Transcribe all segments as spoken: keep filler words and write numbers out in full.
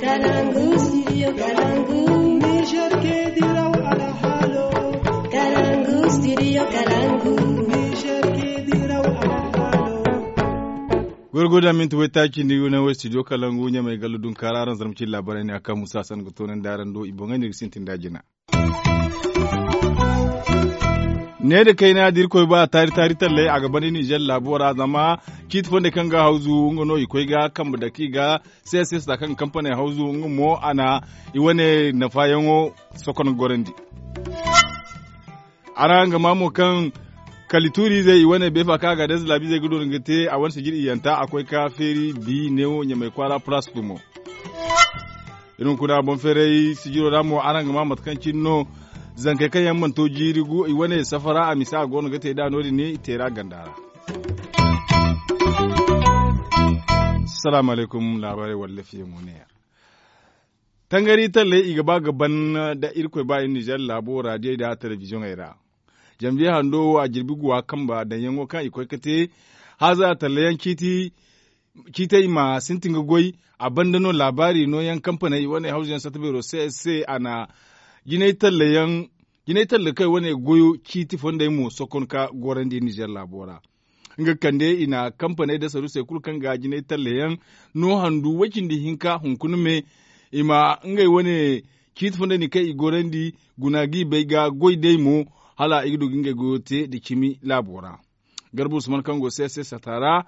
Kalangu, studio Kalangu. Niger ke diraw alhalo. Kalangu, studio Kalangu. Niger ke diraw alhalo. Gorgoda minti waytaaci ni yuna way studio Kalangu ɲamay gallu dunkaara araŋ zarma cin laabaray ne a kaŋ musa san ga toonandi araŋ do i boŋay ne ga sintin da jina. Ne da kayna da irkoy ba taari taari talley a ga banda nizer laabo ra zama ciiti fondey kaŋ ga hawzu nga no i koy ga kambe dake i ga. Seese sata kaŋ ga kampaney hawzu nga mo a na i wane nafaayaŋo sokon gorandi. Araŋ ga maa mo kaŋ kali tuuriizey i wane beefa kaŋ a ga deeza laabiizey ga doona ga te a wane sijir iyyanta a koy ka feeri bi neewo ɲamay kwaara palaas gumo. Iri hunkuna boŋ feeray sijiro ra mo araŋ ga maa mate kaŋ cine no zankey kaŋ yaŋ mana to jiiri gu i wane safara a misa a go no ga te nd'a no- din i teera ganda ra. Salaamu alaykum laabaarey walla fiyaŋo neeya. Tangari talley i ga ba ga ban da irkoy ba iri nizer laabo raadiyey nda telebiziyoŋey ra. Janviye hando wo a jirbi guwa kambe daŋyaŋo kaŋ i koy ga te haaza talla yaŋ ciiti ciitey ma sintin ga goy. A banda no laabaari nooyaŋ kampaney wane hawzuyaŋ satta beero se se a na jinay talla yaŋ jinay talla kay wane goyo ciiti fondey mo sokon ka gorandi nizer laabo ra. Nga kande i na kampaney nda saruusey kulu kaŋ ga jinay talla yaŋ no handu way cindi hinka hunkuna me i ma ngey wane ciiti fondey din kaŋ i gorandi guna ga i bay ga goy day mo hala i ga du ga ngey goyo te nda cimi laabo ra. Garba usman kaŋ go se se sata ra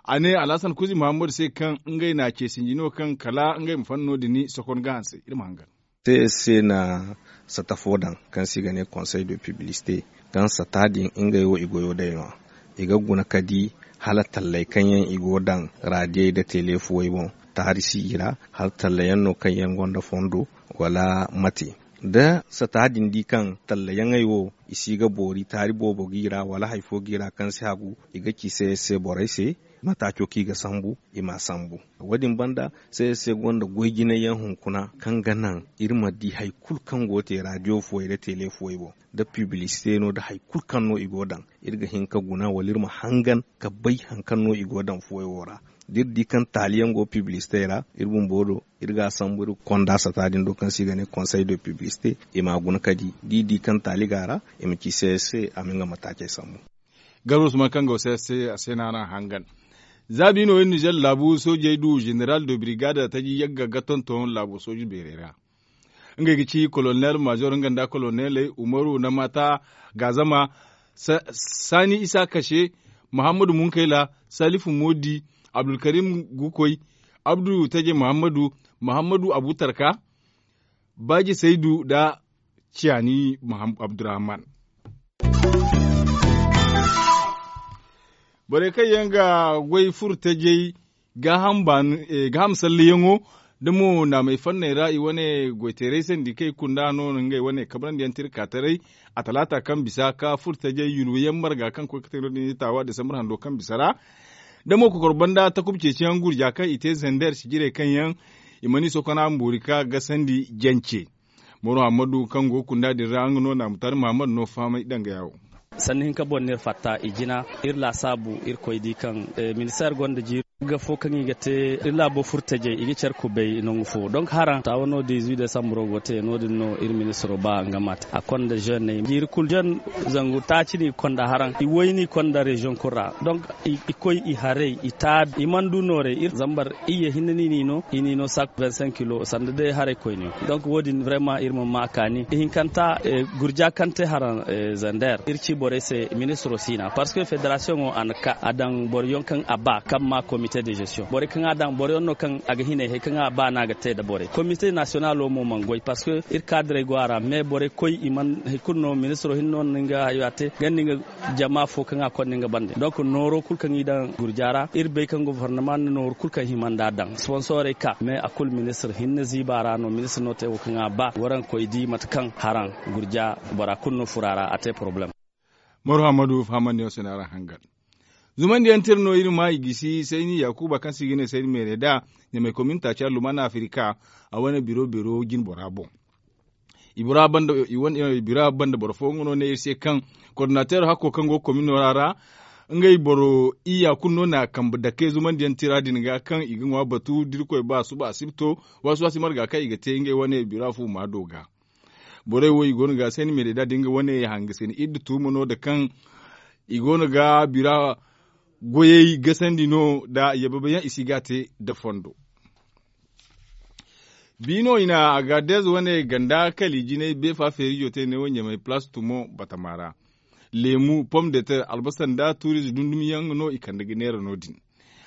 a ne alhasan kuzi muhammadu se kaŋ ngey na ce sinji no kaŋ kala ngey ma fanno din sokon ga hanse iri ma hangan. Se se na sata fo daŋ kaŋ se i ga ne konsey de piblisite kaŋ sata din ngey wo i goyo day no- ya i ga guna ka di hala talley kaŋ yaŋ i go daŋ raadiyey nda teleefuwey boŋ taari si i ra hala talla yaŋ no kaŋ yaŋ gonda fondo wala mate. Da sata din di kaŋ talla yaŋey wo i si ga boori taari boobo ga i ra wala hari fo ga i ra kaŋ si hagu i ga ci se se borey se mataaco kaŋ i ga sambu i m'a sambu. Wo- din banda se se gonda goy jinay yaŋ hunkuna kaŋ ga naŋ iri ma di hari kulu kaŋ go ga te raadiyo fuwey nda teleefuwey boŋ nda piblisite no nda hari kulu kaŋ no i go ga daŋ iri ga hin ka guna wala iri ma hangan ka bay hari kaŋ no i go ga daŋ fuwey wo ra. Da iri di kaŋ taali yaŋ go piblisitey ra iri bumbo do iri ga a sambu iri ga konda sata din do kaŋ se i ga ne konsey de piblisite i m'a guna ka di da i di kaŋ taali go a ra i ma ci se se a ma nga mataacey sambu. Garba usman kaŋ go se se a se no araŋ hangan. Za bi no iri nizer laabu soojey du zeneral de birigada taji yagga ga tonton laabo sooji beerey ra. Ngey ga ci kolonel maazor nga nda koloneley umaru na maata gaazama saani isa kase muhammadu munkayla salifu moodi abdulkarim gukoy abdu taje muhammadu muhammadu abutarka baaji saydu nda ciyaani abdurrahman. Borey kaŋ yaŋ ga goy furo tajey gaaham salleyaŋo da mo naamey fanney ra i wane goyteeray sandi kaŋ i kunda no no ngey wane kabrandi yaŋ te iri ka taray a talaata kaŋ bisa ka furo tajey yulwayaŋ marga kaŋ koy ga te no- din i taawa desambar hando kaŋ bisa ra da mo kokor banda takuba ceeciyaŋ gurja kaŋ i te zander sijirey kaŋ yaŋ i mana i sokona ma boori ka gasandi jance. Moro hammadu kaŋ go ga kunda din ra nga no na mutaari muhammadu no fahamay danga yaawo. Sanni hinka boŋ no iri fatta i jina iri laasaabu iri koy di kaŋ ministeer gonda jiiri ga fo kaŋ i ga te iri laabo furtajey i ga care kubay nangu fo donk haraŋ taawa no dizuit desambro go te no- din no iri ministiro ba nga ma te a konda jeune jiiri kulu jeune zangu taaci no i ga konda haraŋ i way no i konda reziyoŋ kulu ra donk i koy i haray i taabi i mana du noorey iri zambar iyye hinne no i n'i no i n'i no saak vingt cinq kilo sanda day haray koyne. Donc wo- din vraiment iri ma ma a kaani ihinkanta gurja kaŋ te haraŋ zander iri ci borey se ministiro si na parce que federasiyoŋo a na ka a daŋ boro yaŋ kaŋ a ba kaŋ ma komite de gestion borey kaŋ a daŋ boro yaŋ no kaŋ a ga hinay hari kaŋ a ba no a ga te nda borey komite nasiyonalo mo mana goy parce que iri kaadirey go a ra mais borey koy i mana hari kulu no ministiro hinne no na nga hayo a te ganda nga jama fo kaŋ a konda nga bande donc nooro kulu kaŋ i daŋ gurja ra iri bay kaŋ gofornama na nooru kulu kaŋ hima nd'a daŋ sponsorey ka mais a kulu ministir hinne ziiba ra no ministir no te wo kaŋ a ba waraŋ koy di mate kaŋ haraŋ gurja bora kulu no furo a ra a te poroblem. Moro hammadu fahamandiyaŋ se no araŋ hangan zumandiyaŋ tira no iri ma i gisi sayni yakuba kaŋ se i ga ne sayni meere da ɲamay komin taaci alluman afirika a wane biro beero jinbora boŋ. Bira banda boro fooyaŋ no ne iri se kaŋ kordinateero hakko kaŋ go ga komino ra ra Ngey boro iyya kulu no na kambe dake zumandiyaŋ tira din ga kaŋ i ga ŋwa batu da irkoy ba suba asibto. Waasi waasi marga kaŋ i ga te ngey wane bira fu maado ga. Borey wo i go no ga seen meede da da nga wane hangasine idda tuuma no da kaŋ i go no ga bira goyey gasandi no da yababayaŋ i si ga a te da fondo. Bi no i na agadez wane ganda kali jinay beefa feerijo te neewo ɲamay palaas tumo batama ra. Leemu pom de ter albasa nda tuuriize dundum yaŋ no i kande ga neera no- din.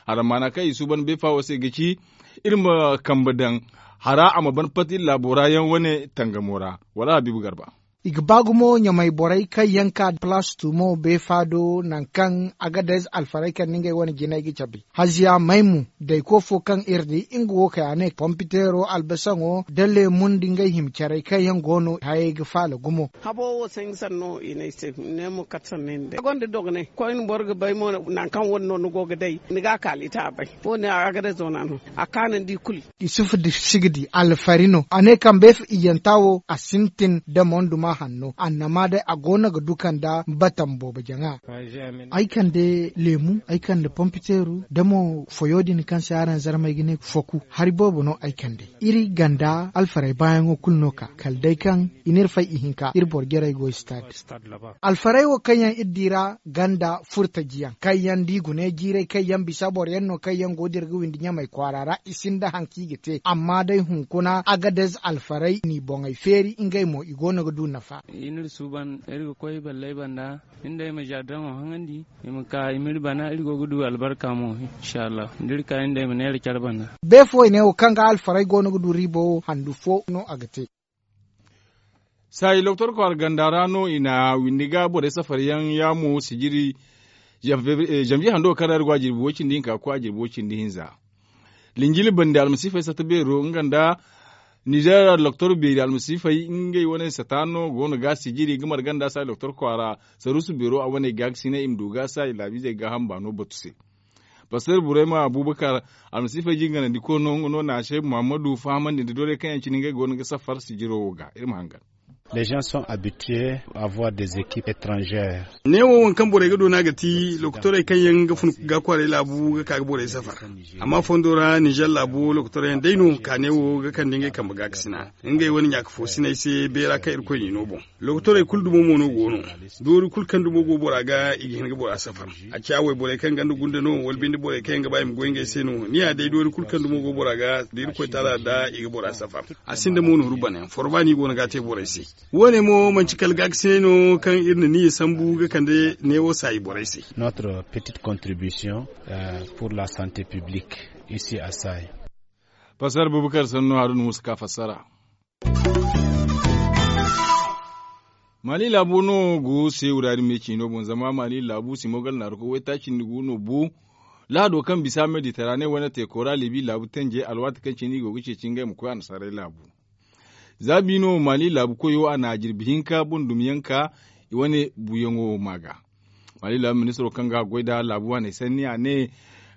Hara maana kaŋ i suuban beefa wo se ga ci iri ma kambe daŋ hara a ma ban pati iri laabo ra yaŋ wane tangamo ra. Wala habiibu garba. I ga ba gumo ɲamay borey kaŋ yaŋ ka palaas tumo beefa do nangu kaŋ agadez alfarey kaŋ nda ngey wane jinay ga cabe haziya maymu dayko fo kaŋ iri di nga wo kay a ne pompiteero albasaŋo da leemu nda ngey hima carey kaŋ yaŋ go no hayey ga faala gumo. Habo wo sanni sanno i ne ay se ne mo kate sanno ay ma day a gonda dogonay koyne boro ga bay mo nangu kaŋ wane no ni go ga day ni ga a kaali ta a bay. Wo- ne a ga day zoona no a kaanandi kulu. Isufu da si ga di alfari no a ne kaŋ beefa iyyanta wo a sintin da monduma hanno annama day a go no ga du kaŋ da batam boobo jaŋa. Ay kande leemu ay kande pompiteeru da mo foyo din kaŋ se araŋ zarmey ga ne foku hari boobo no ay kande. Iri ganda alfarey baayaŋo kulu no ka kala day kaŋ i n'iri fay ihinka iri boro jarey go istaad. Alfarey wo kaŋ yaŋ iri di ra ganda furtajiyaŋ kaŋ yaŋ da i gune jiirey kaŋ yaŋ bisa boro yaŋ no kaŋ yaŋ go dira ga windi ɲamey kwaara ra i sinda hari kaŋ i ga te amma day hunkuna agadez alfarey n'i boŋey feeri ngey mo i go no ga du nafa. Iri ga koy balley banda iri nd'ey ma jaadiraŋo haŋandi i ma ka i m'iri bana iri go ga du albarka mo. Inshallahu da iri ka iri nd'ey ma neera care banda. Beefo i ne wo kaŋ ga alfarey go no ga du riibo wo handu fo no a ga te. Saayi loktor kwaara ganda ra no i na windi ga borey safar yaŋ yaamo sijiri. Janviye hando kaŋ ra iri go a jirbi way- cindi hinka ga koy a jirbi way- cindi hinza. Linjili bande almasiifey sata beero nga nda nizeer loktor beeri almasiifey ngey wane sata no go no ga sijiri ga marga nda saayi loktor kwaara saruusu beero a wane gaakasinay i ma du ga saayi laabiizey gaaham baano batu se. Paster burayma abubakar almasiifey jingarandiko no nga no na a se muhammadu fahamandi nda doorey kaŋ yaŋ cine ngey go no ga safar sijiro wo ga iri ma hangan. Les gens sont habitués à voir des équipes étrangères. Neewo waŋ kaŋ borey ga doona ga ti lokotorey kaŋ yaŋ ga fun ga kwaaray laabu ga ka ga borey safar. Amma fondo ra nizer laabo lokotorey yaŋ day no ka neewo ga kande ngey kambe gaakasina ngey wane ɲaaka foosiney se beera kaŋ irkoy n'i no boŋ. Lokotorey kulu dumo mo no go no. Doori kulu kaŋ dumo go bora ga i ga hin ga bora safar. A ciya wayborey kaŋ ganda gunda no wala binde borey kaŋ yaŋ ga ba i ma goy ngey se no ni ya day doori kulu kaŋ dumo go bora ga da irkoy taala da i ga bora safar. A sinda mo nooru bana yaŋ forba no i go no ga a te borey se. Wo- ne mo manci kala gaakasinay no kaŋ iri na niya sambu ga kande neewo saayi borey se. Notre petite contribution pour la santé publique ici à saayi. Pasar bubakar sannu haruna musa ka fassara. Mali laabu no go se wuraari me ciino boŋ zama mali laabu simogal naaru koy waytaaci nda gu no bu. Lahado kaŋ bisa mediterane wane teeko ra libi laabu tanje alwaati kaŋ cine i go ga ceeci ngey ma koy annasaarey laabu. Za bi no mali laabu koyo a na jirbi hinka boŋ dumi yaŋ ka i wane buuyaŋo ma ga. Mali laabu ministiro kaŋ ga a goy nda laabu waaney sanni a ne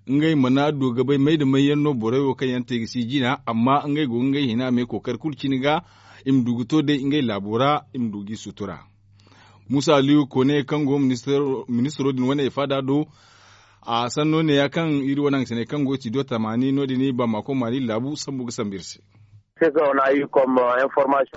ngey mana du ga bay may nda may yaŋ no borey wo kaŋ yaŋ te ga si jina amma ngey go ga ngey hina me kookari kulu cine ga i ma du ga to day ngey laabo ra i ma du g'i sutura. Muusa aliyu kone kaŋ go ministiro din wane faada do. A sanno neeya kaŋ iri wane hangasiney kaŋ go ga ci do tamaani no- din i ba maako maali laabu sambu ga sambu iri se.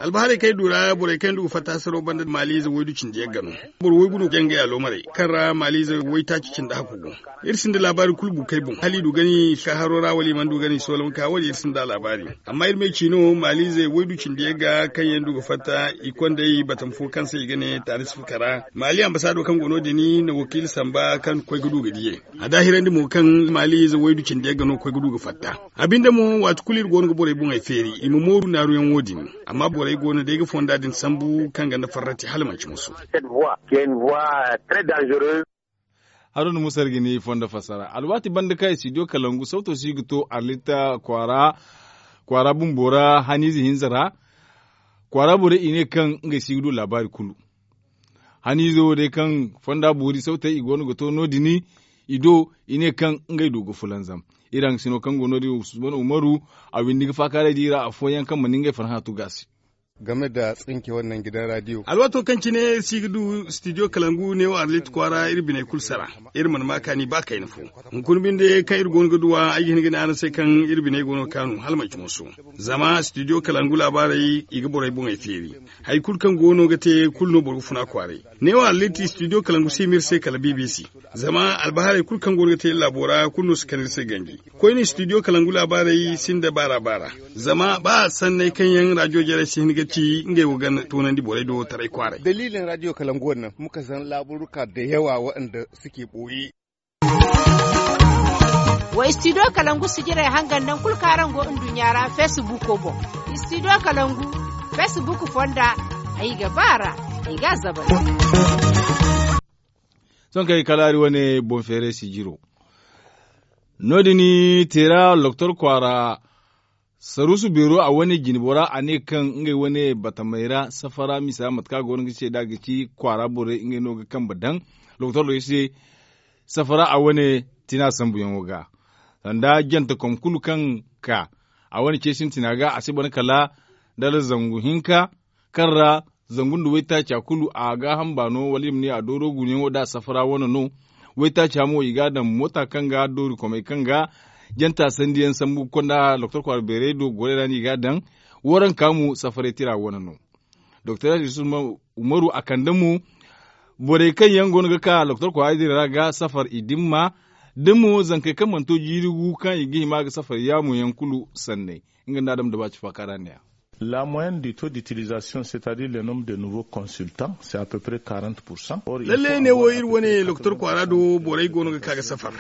Albahaarey kaŋ ay du ra borey kaŋ yaŋ du ga fatta hasaro banda maaliize waydu cindi yagga no. Boro waygu no ga jangay aloomarey kaŋ ra maaliize waytaaci cindi hakku go. Iri sinda laabaari kulu bu kay boŋ hala i du gani ka haro ra wala i mana du gani soolam ka wo- din iri sinda a laabaari. Amma iri ma ay ci no maaliizey waydu cindi yagga kaŋ yaŋ du ga fatta i kondey batama fo kaŋ se i ga ne taarisi fukara maali ambasaado kaŋ go no- din na wakiila samba kaŋ koy ga du ga diyey. A daahirandi mo kaŋ maaliize waydu cindi yagga no koy ga du ga fatta. A binde mo waati kulu iri go no ga borey boŋey feeri i ma mooru naaruyaŋ wo- din. Amma borey go no day ga fonda din sambu kaŋ ganda farrati hala manci musu. Haruna musa iri ga ni fondo fassara alwaati banda kaŋ i si diyo kalangu sawto si ga to arlita kwaara bumbo ra haniize hinza ra. Kwaara borey i ne kaŋ ngey si ga du laabaari kulu. Haniize wo day kaŋ fonda boori sawtey i go no ga to no- din i do i ne kaŋ ngey du ga fulanzam. Iri hangasino kaŋ go no- din usman umaru a windi ga faakaaray di ra afooyaŋ kaŋ mana ngey farhã tugu a se. Game da tsinke wannan gidan radiyo. Alwaato kaŋ cine iri si ga du studio kalangu neewo arlit kwaara iri biney kulu sara. Iri mana ma kaani ba kayna fo. Hunkuna binde kaŋ iri go no ga duwa ay ga hin ga ne araŋ se kaŋ iri biney go no ga kaanu hala manci mooso. Zama studio kalangu laabaarey i ga borey boŋey feeri. Hari kulu kaŋ go no ga te kulu no boro ga funa kwaaray. Neewo arlit studio kalangu si hima iri se kala bbc. Zama albahaarey kulu kaŋ go no ga te iri laabo ra kulu no si kande iri se ganji. Koyne studio kalangu laabaarey sinda baara baara. Zama ba sanney kaŋ yaŋ rajo jarey si hin ga ci ngey wo ga toonandi borey do taray kwaaray. Daliilin rajo kalangu wo naŋ muka zan laaburuka da yawa waɗanda suke ɓooye. Wa studio kalangu sijirey hangan naŋ kulu kaŋ araŋ go nduɲɲa ra facebook boŋ. Studio kalangu facebook fonda ay ga ba ra. Ay ga a zabar. Sohõ kaŋ ay kalaari wane boŋ feeray sijiro. No- din teera doktor kwaara saruusu beero a wane jinbora a ne kaŋ ngey wane batamey ra safara misa mate kaŋ a go no ga ce nd'a ga ci kwaara borey ngey no ga kambe daŋ doktor do se. Safara a wane tina sambuyaŋo ga sanda jantekom kulu kaŋ ka a wane ce sintina ga a si bana kala dala zangu hinka kaŋ ra zangu nda waytaaca kulu a gaaham baano wala i ma ne a dooro guunayaŋo da safara wane no. Waytaaca mo i ga a daŋ moota kaŋ ga doorikomey kaŋ ga janta sandiyaŋ sambu ga konda doktor kwaara beeray do gorey ra no i ga a daŋ. Waranka mo safaray tira wane no. Doktor yusuf umaru a kande mo borey kaŋ yaŋ go no ga ka doktor kwaara din ra ga safar i dimma da mo zankey kaŋ mana to jiiri gu kaŋ i ga hima ga safar yaamu yaŋ kulu sanney. Nga nda adam da ba ci faakara ne ya. La moyenne du taux d'utilisation c'est à dire le nombre de nouveaux consultants c'est à peu près quarante. Lalle ne wo iri wane doktor kwaara do borey go no ga ka ga safar.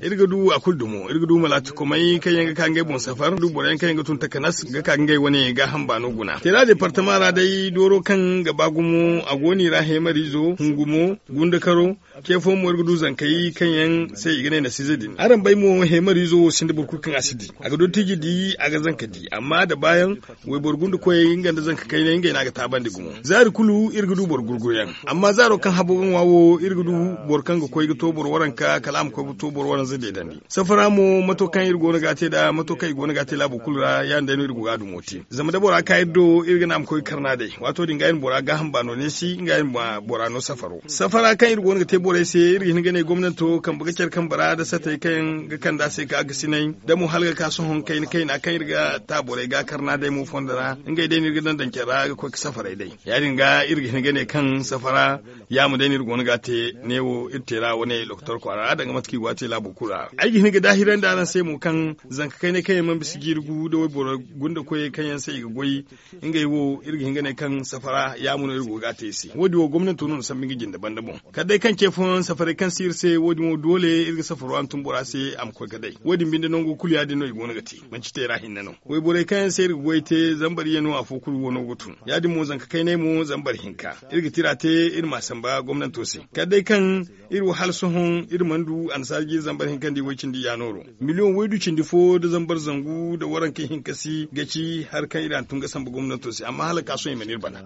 Iri ga du a kulu dumo iri ga du malaatikomey kaŋ yaŋ ga ka ngey boŋ safar du boroyaŋ kaŋ yaŋ ga tun takanas ga ka ngey wane gaaham baano guna teera departama ra day dooro kaŋ ga ba gumo a go no i ra heemariizo hungumo gundakaro. Ce fo mo iri ga du zankey kaŋ yaŋ se i ga ne nasiize din araŋ bay mo heemariizo wo sinda boro kulu kaŋ a si di a ga dottiiji di a ga zanka di amma da baayaŋ wayboro gunda koyey nga nda zanka kaynay ngey no a ga taabandi gumo zaari kulu iri ga du boro gurguyaŋ. Amma zaaro kaŋ habo ga ŋwa wo iri ga du boro kaŋ ga koy ga to boro waranka kala a ma koy ga to boro waranza deedandi. Safara mo mato kaŋ iri go no ga a te nd'a mato kaŋ i go no ga a te laabo kulu ra ya- din day no iri go ga a dumo te zama da bora ka iri do iri ga ne a ma koy ga karna day waato din ga iri ma bora gaaham baano neesi nga iri ma bora no safaro safara kaŋ iri go no ga te borey se iri ga hin ga ne gomnanto kambe ga care kambe ra nda satey kaŋ ga kande a se ka ga sinay da mo hala ga ka sohõ kayna kayna kaŋ iri ga ta borey ga karna day mo fondo ra ngey day no iri ga daŋ daŋ care ra ga koy ga safaray day. Ya- din ga iri ga hin ga ne kaŋ safara yaamu day no iri go no ga a te neewo iri teera wane doktor kwaara ra danga mate kaŋ i go a te laabo kulu ra ay ga hin ga daahirandi araŋ se mo kaŋ zanka kaynay kaŋ yaŋ mana bisa jiiri gu nda wayboro gunda koyey kaŋ yaŋ se i ga goy ngey wo iri ga hin ga ne kaŋ safara yaamu no iri go ga a te i se wo- din wo gomnanto no na sambu nga jinde banda boŋ. Kala day kaŋ ce fooyaŋ safaray kaŋ si iri se wo- din wo doole iri ga safaro hantum bora se a ma koy ga day wo- din binde nango kulu ya- din no i go no ga te manci teera hinne no. Wayborey kaŋ yaŋ se iri ga goy te zambar iyye no afo kulu wano ga tun ya- din mo zanka kaynay mo zambar hinka iri ga tira te iri m'a samba gomnanto se. Kala day kaŋ iri wo hala sohõ iri mana du annasaara jiiri zambar hinka nda i way cindi yaanooro miliyoŋ waydu cindi fo nda zambar zangu nda waranka hinka si ga ci hari kaŋ iri hantum ga samba gomnanto se amma hala ga ka sohõ i mana iri bana.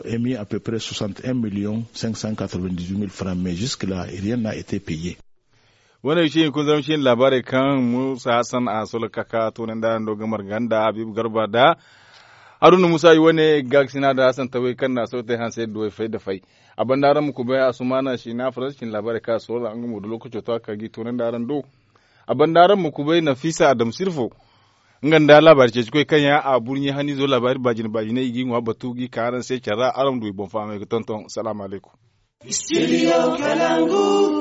Emi à peu près soixante et un millions cinq cent quatre vingt dix huit mille francs mais jusque là rien n'a été payé. Wane ga ci hunkuna zama ci ne laabaarey kaŋ muusa hassan a solo kaka toonandi araŋ do ga marga nda habiibu garba nda haruna muusa i wane gaakasina nda hassan taway kaŋ na a solo te hanse duwey fay da fay. A banda araŋ ma kubay asumaana siina faransa cine laabaarey kaŋ a solo nga mo da lookaco to a ka ga i toonandi araŋ do. A banda araŋ ma kubay nafisa adam sirfo nga nda laabaari ceecikoy kaŋ yaŋ a burɲe haniizo laabaari baajine baajine i g'i ŋwa batu g'i ka araŋ se care ra araŋ ma du i boŋ fahamey ga tonton salaamu alaykum.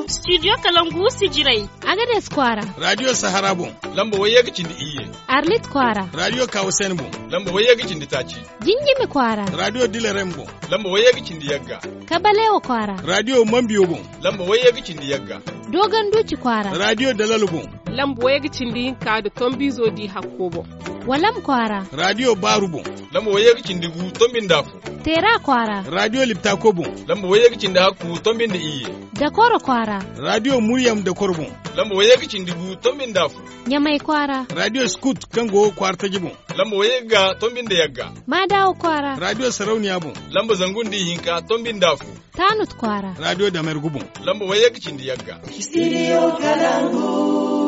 Studio kalangu sijirey. Agades kwaara. Radiyo sahara boŋ. Lamba wayye ga cindi iyye. Arlit kwaara. Radiyo kawusani boŋ. Lamba wayye ga cindi taaci. Jinjimi kwaara. Radiyo dilarem boŋ. Lamba wayye ga cindi yagga. Kabalewa kwaara. Radiyo mambiyo boŋ. Lamba wayye ga cindi yagga. Dogon duci kwaara. Radiyo dalalo boŋ. Lamba wayye ga cindi hinka nda tombizo di hakko boŋ. Walam kwaara. Radiyo baaru boŋ. Lamba wayye ga cindi gu tombi nda afo. Teera kwaara. Radiyo liptako boŋ. Lamba wayye ga cindi hakku tombi nda iyye. Dakoro kwaara. Radiyo muryam dakoro boŋ. Lamba wayye ga cindi gu tombi nda afo. Ɲamay kwaara. Radiyo skut kaŋ go kwaara taji boŋ. Lamba wayye ga tombi nda yagga. Maadawa kwaara. Radiyo sarauniya boŋ. Lamba zangu nda ihinka tombi nda afo. Taanut kwaara. Radiyo damergu boŋ. Lamba wayye ga cindi yagga. Studio kalangu.